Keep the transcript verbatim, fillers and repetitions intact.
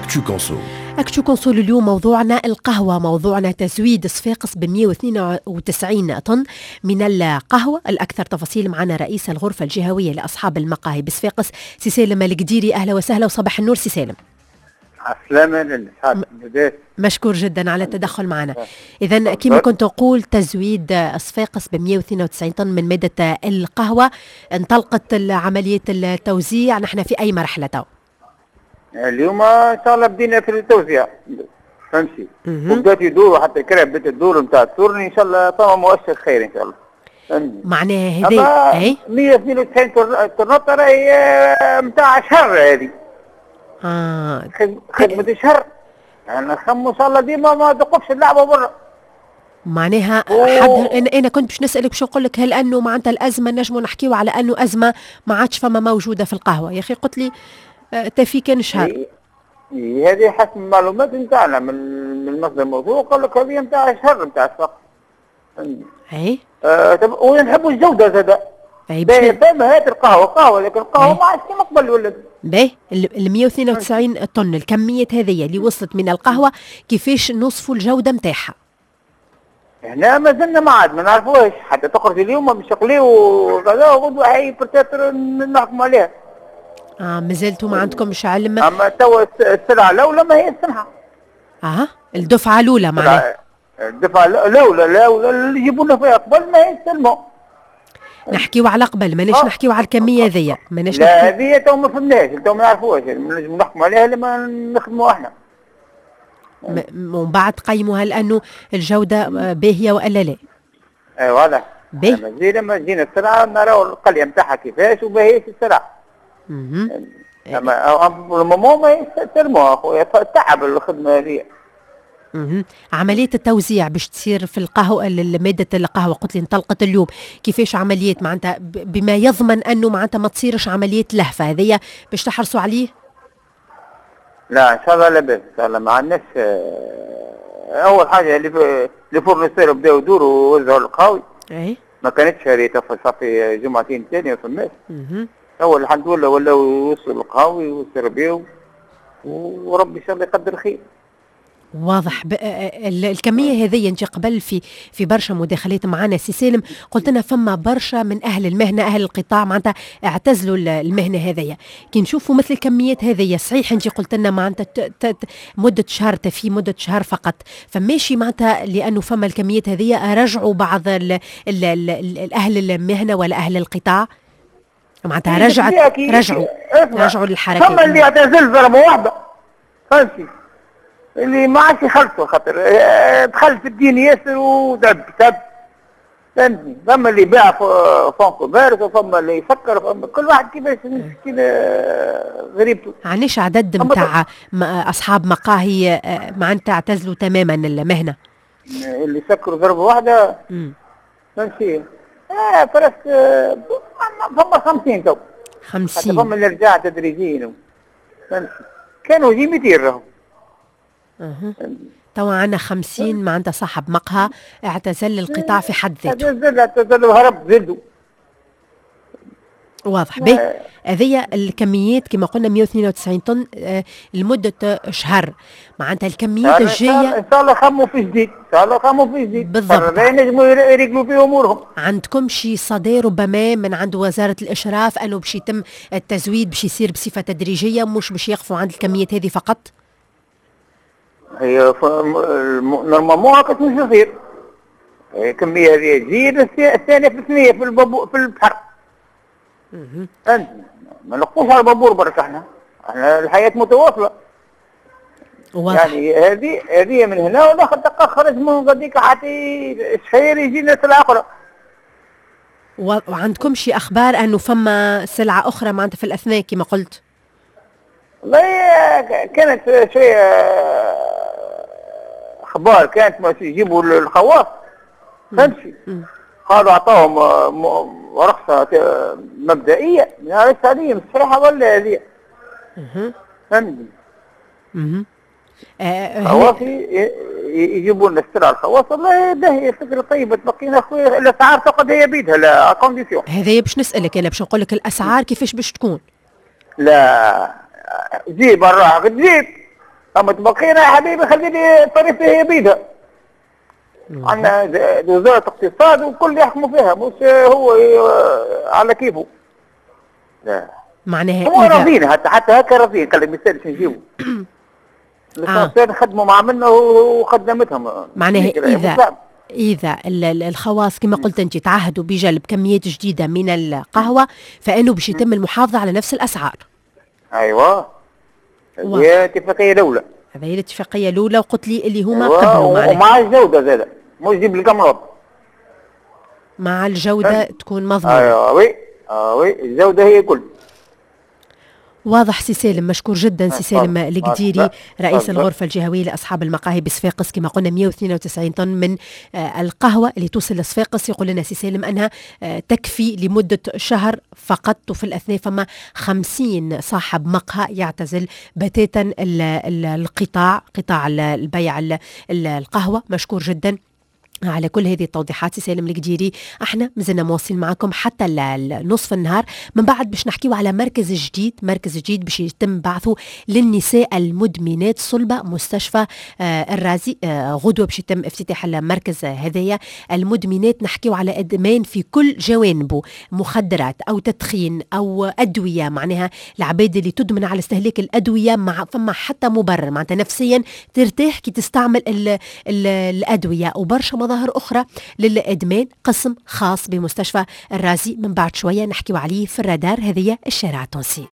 Actu Conso. Actu Conso اليوم موضوعنا القهوة، موضوعنا تزويد صفاقس ب مئة واثنين وتسعين طن من القهوة. الأكثر تفاصيل معنا رئيس الغرفة الجهوية لأصحاب المقاهي بصفاقس، سي سالم القديري. أهلا وسهلا وصباح النور سي سالم. عسلامة للأصحاب. مشكور جدا على التدخل معنا. إذا كما كنت أقول، تزويد صفاقس ب مئة واثنين وتسعين طن من مادة القهوة، انطلقت عملية التوزيع، نحن في أي مرحلة تو؟ اليوم ان شاء الله بدينا في التوزيع، فهمتي؟ وبدات يدوروا، حتى كرا بدات تدور نتاع ال tournée. ان شاء الله فما مؤشر خير ان شاء الله. معناها هذه اي مئة واثنين وتسعين طنطة راهي نتاع شهر هذه. اه خدمة شهر، يعني نخمو ان شاء الله ديما ما تقفش اللعبة برا. معناها حد انا انا كنت باش نسالك، باش نقول لك هل انه معناتها الازمة نجموا نحكيو على انه ازمة ما عادش فما موجودة في القهوه، يا اخي قلت لي آه، تفي كان شهر. إيه، هذه حسب المعلومات نتاعنا من من مصدر موثوق، قال لك هذه نتاع شهر نتاع السوق. اي. آه طب ونحبوا الجودة زاد. اي. فما هات القهوة قهوه، لكن القهوة ما عادش كيما قبل ولا. باهي، ال مئة واثنين وتسعين طن، الكمية هذه اللي وصلت من القهوه، كيفاش نوصفوا الجودة نتاعها؟ هنا ما زلنا ما عاد ما نعرفوش، حتى تخرج اليوم باش يقليو وكذا وغدوه هي peut-être نحكموا عليها. اه، مازلتوا ما عندكمش علم. اما توا السلعة الاولى ما هي السمحه. اه، الدفعة الاولى معناها. الدفعة الاولى الاولى اللي يجيبوا لنا فيها قبل ما هي السلمه. نحكيو على قبل، ماناش آه. نحكيو على الكمية ذي، ماناش. لا، هذه تو ما فهمناش، تو ما نعرفوهاش، نجم نحكموا عليها لما نخدموا احنا. ومن بعد قيموها لانه الجودة باهيه والا لا. اي واضح. باهي. لما تجينا السلعة نراو القليه نتاعها كيفاش وباهيش السلعه. اما le moment ما يستلموها اخويا، تعب الخدمة هذه. مهم. عملية التوزيع باش تصير في القهوة، مادة القهوة قلت لي انطلقت اليوم، كيفاش عملية معناتها بما يضمن أنه معناتها ما تصيرش عملية لهفة هذيا باش تحرصوا عليه؟ لا، ان شاء الله لاباس، ان شاء الله ما عندناش. آه، اول حاجة اللي les fournisseurs بداو يدوروا ووزعوا القهاوي. اي ما كانتش هذه صافي جمعتين ثانية ما فماش. هو الحمد لله ولاو يوصلوا القهاوي ويسربيو، وربي ان شاء الله يقدر خير. واضح. ب... الكمية هذه، انت قبل في في برشا مداخلات معنا سي سالم قلت لنا فما برشا من اهل المهنه، اهل القطاع معناتها اعتزلوا المهنة هذيا. كي نشوفوا مثل الكميات هذيا، صحيح انت قلت لنا معناتها ت... ت... مده شهر، تفي مده شهر فقط، فماشي معناتها لانه فما الكميات هذيا رجعوا بعض ال... ال... ال... اهل المهنة ولا اهل القطاع، معناتها رجعت رجعوا رجعوا للحركه. فما اللي اعتزل ضربه واحده، فهمتي؟ اللي ما عادش يخلصوا خاطر آه، دخل في الدين ياسر وتعب تعب، فهمتني؟ فما اللي باع fonds commerce، وفما اللي يسكر، فما كل واحد كيفاش مسكين آه، غريبته. عندناش عدد نتاع اصحاب مقاهي آه، معناتها اعتزلوا تماما المهنه؟ اللي سكروا ضربه واحده، فهمتي؟ اه presque فما خمسين تو. خمسين. فما اللي رجع تدريجيا، فهمتي؟ كانوا يجي مئتين راهو. أه. توا عندنا خمسين معناتها صاحب مقهى اعتزل القطاع في حد ذاته. اعتزل اعتزل وهرب زدوا. واضح. باهي، هذه الكميات كما قلنا مئة واثنين وتسعين طن آه، لمدة شهر، معناتها الكميات الجاية. ان شاء الله خموا في جديد، ان شاء الله خموا في جديد. بالضبط. ينجموا يريقلوا فيه امورهم. عندكم شي صدى ربما من عند وزارة الاشراف انه باش يتم التزويد، باش يصير بصفة تدريجية، مش باش يقفوا عند الكميات هذه فقط؟ هي normalement هكا مش يصير، الكمية هذه تجي الثانية في الثنية في البابور في البحر، فهمت؟ ما نقفوش على البابور برك، احنا احنا الحياة متواصلة. واضح. يعني هذه هذه من هنا والاخر دقة خرج من غاديك حتى شهير يجينا سلعة أخرى. وعندكم شي اخبار انه فما سلعه اخرى معناتها في الاثناء كما قلت؟ والله كانت شوية اخبار، كانت ما يجيبوا الخواص، فهمتي؟ قالوا اعطاهم رخصه مبدئيه، ما عرفتش هذه صحيحه ولا هذه، فهمتني؟ خواص يجيبوا لنا السلعة الخواص، والله باهي، فكرة طيبه، تبقينا خويا الاسعار تقعد هي بيدها la condition. هذايا باش نسالك انا، باش نقول لك الاسعار كيفاش باش تكون؟ لا، جيب الراحة تجيب. اما تبقينا يا حبيبي خليني الطريقة هي بيدها. عندنا وزارة اقتصاد والكل يحكموا فيها، مش هو على كيفه. لا معناها هو راضيين، حتى حتى هكا راضيين، قال لك ما يسالش نجيبوا. آه. خدموا مع منا وخدمتهم. معناها اذا اذا الخواص كما قلت انت تعهدوا بجلب كميات جديدة من القهوة فانه باش يتم المحافظة على نفس الاسعار. ايوه هي الاتفاقية الاولى. هذه هي الاتفاقية الاولى، وقلت لي اللي هما أيوة. قبلوا معناها ومع الجودة زاده، مش جيب القمرات، مع الجودة تكون مضمونه. ايوه oui اه oui الجودة هي كل. واضح سي سالم، مشكور جدا سي سالم القديري رئيس الغرفة الجهوية لأصحاب المقاهي بصفاقس. كما قلنا مئة واثنين وتسعين طن من القهوة اللي توصل لصفاقس، يقول لنا سي سالم أنها تكفي لمدة شهر فقط، وفي الأثناء فما خمسين صاحب مقهى يعتزل بتاتا القطاع، قطاع البيع القهوة. مشكور جدا على كل هذه التوضيحات سي سالم القديري. احنا مازلنا مواصلين معكم حتى نصف النهار، من بعد باش نحكيو على مركز جديد، مركز جديد باش يتم بعثه للنساء المدمنات صلبة مستشفى آه الرازي. آه غدوة باش يتم افتتاح المركز هذايا. المدمنات نحكيو على ادمان في كل جوانبه، مخدرات او تدخين او ادوية، معناها العباد اللي تدمن على استهلاك الادوية مع فما حتى مبرر، معناتها نفسيا ترتاح كي تستعمل ال ال الادوية، وبرشا مظاهر أخرى للإدمان. قسم خاص بمستشفى الرازي من بعد شوية نحكيو عليه في الرادار. هذه الشارع التونسي.